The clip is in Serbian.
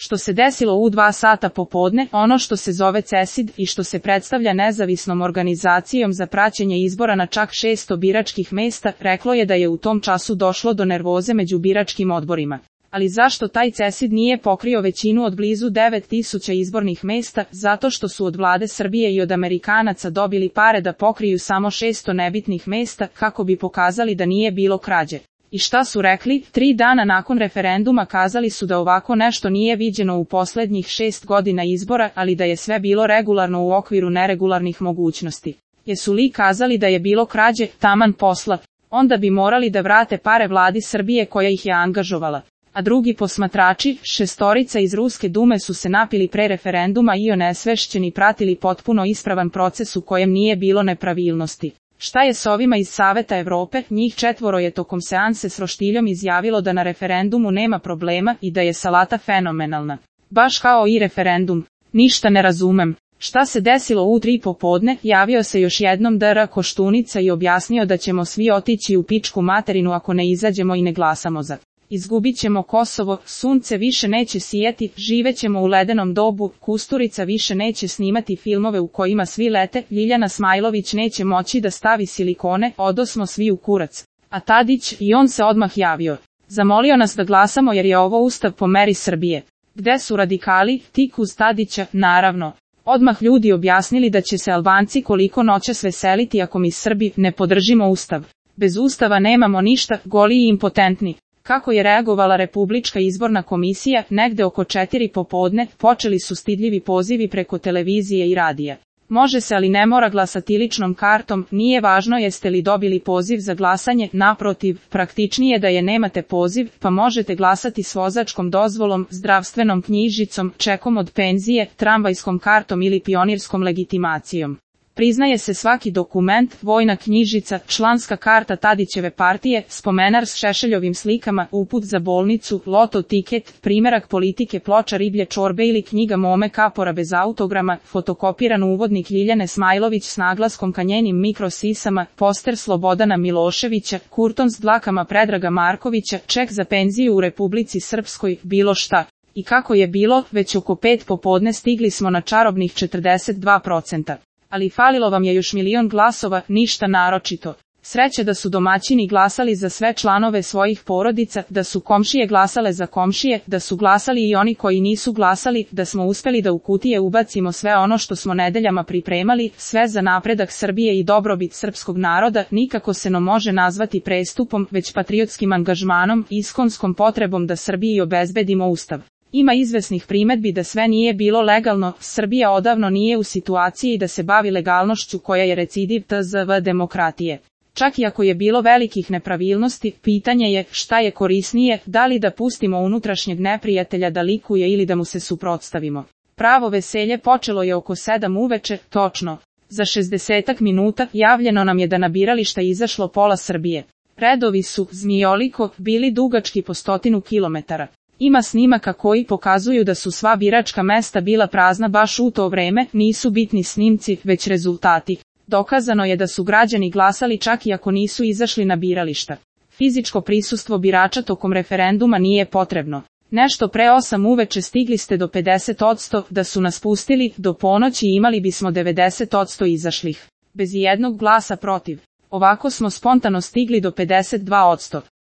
što se desilo u 2 sata popodne, ono što se zove CESID i što se predstavlja nezavisnom organizacijom za praćenje izbora na čak 600 biračkih mesta, reklo je da je u tom času došlo do nervoze među biračkim odborima. Ali zašto taj CESID nije pokrio većinu od blizu 9000 izbornih mesta? Zato što su od vlade Srbije i od Amerikanaca dobili pare da pokriju samo 600 nebitnih mesta, kako bi pokazali da nije bilo krađe. I šta su rekli? 3 dana nakon referenduma kazali su da ovako nešto nije viđeno u poslednjih 6 godina izbora, ali da je sve bilo regularno u okviru neregularnih mogućnosti. Jesu li kazali da je bilo krađe? Taman posla. Onda bi morali da vrate pare vladi Srbije koja ih je angažovala. A drugi posmatrači, 6 iz Ruske dume su se napili pre referenduma i onesvešćeni pratili potpuno ispravan proces u kojem nije bilo nepravilnosti. Šta je s ovima iz Saveta Evrope? Njih 4 je tokom seanse s roštiljom izjavilo da na referendumu nema problema i da je salata fenomenalna. Baš kao i referendum. Ništa ne razumem. Šta se desilo u 3 popodne? Javio se još jednom Dr. Koštunica i objasnio da ćemo svi otići u pičku materinu ako ne izađemo i ne glasamo za. Izgubit ćemo Kosovo, sunce više neće sijati, živećemo u ledenom dobu, Kusturica više neće snimati filmove u kojima svi lete, Ljiljana Smajlović neće moći da stavi silikone, odosmo svi u kurac. A Tadić, i on se odmah javio. Zamolio nas da glasamo jer je ovo ustav po meri Srbije. Gde su radikali? Tik uz Tadića, naravno. Odmah ljudi objasnili da će se Albanci koliko noćas veseliti ako mi Srbi ne podržimo ustav. Bez ustava nemamo ništa, goli i impotentni. Kako je reagovala Republička izborna komisija? Negde oko 4 popodne počeli su stidljivi pozivi preko televizije i radija. Može se, ali ne mora glasati ličnom kartom, nije važno jeste li dobili poziv za glasanje, naprotiv, praktičnije da je nemate poziv, pa možete glasati s vozačkom dozvolom, zdravstvenom knjižicom, čekom od penzije, tramvajskom kartom ili pionirskom legitimacijom. Priznaje se svaki dokument, vojna knjižica, članska karta Tadićeve partije, spomenar s Šešeljovim slikama, uput za bolnicu, loto tiket, primerak politike, ploča riblje čorbe ili knjiga Mome Kapora bez autograma, fotokopiran uvodnik Ljiljane Smajlović s naglaskom ka njenim mikrosisama, poster Slobodana Miloševića, kurton s dlakama Predraga Markovića, ček za penziju u Republici Srpskoj, bilo šta. I kako je bilo, već oko 5 popodne stigli smo na čarobnih 42%. Ali falilo vam je još 1.000.000 glasova, ništa naročito. Sreće da su domaćini glasali za sve članove svojih porodica, da su komšije glasale za komšije, da su glasali i oni koji nisu glasali, da smo uspeli da u kutije ubacimo sve ono što smo nedeljama pripremali, sve za napredak Srbije i dobrobit srpskog naroda, nikako se no može nazvati prestupom, već patriotskim angažmanom, iskonskom potrebom da Srbiji obezbedimo ustav. Ima izvesnih primedbi da sve nije bilo legalno, Srbija odavno nije u situaciji da se bavi legalnošću koja je recidiv tzv. Demokratije. Čak i ako je bilo velikih nepravilnosti, pitanje je šta je korisnije, da li da pustimo unutrašnjeg neprijatelja da likuje ili da mu se suprotstavimo. Pravo veselje počelo je oko 7 uveče, točno. Za 60 minuta javljeno nam je da na birališta izašlo pola Srbije. Redovi su, zmijoliko, bili dugački po 100 kilometara. Ima snimaka koji pokazuju da su sva biračka mesta bila prazna baš u to vreme, nisu bitni snimci, već rezultati. Dokazano je da su građani glasali čak i ako nisu izašli na birališta. Fizičko prisustvo birača tokom referenduma nije potrebno. Nešto pre 8 uveče stigli ste do 50%, da su nas pustili, do ponoći imali bismo 90% izašlih. Bez jednog glasa protiv. Ovako smo spontano stigli do 52%.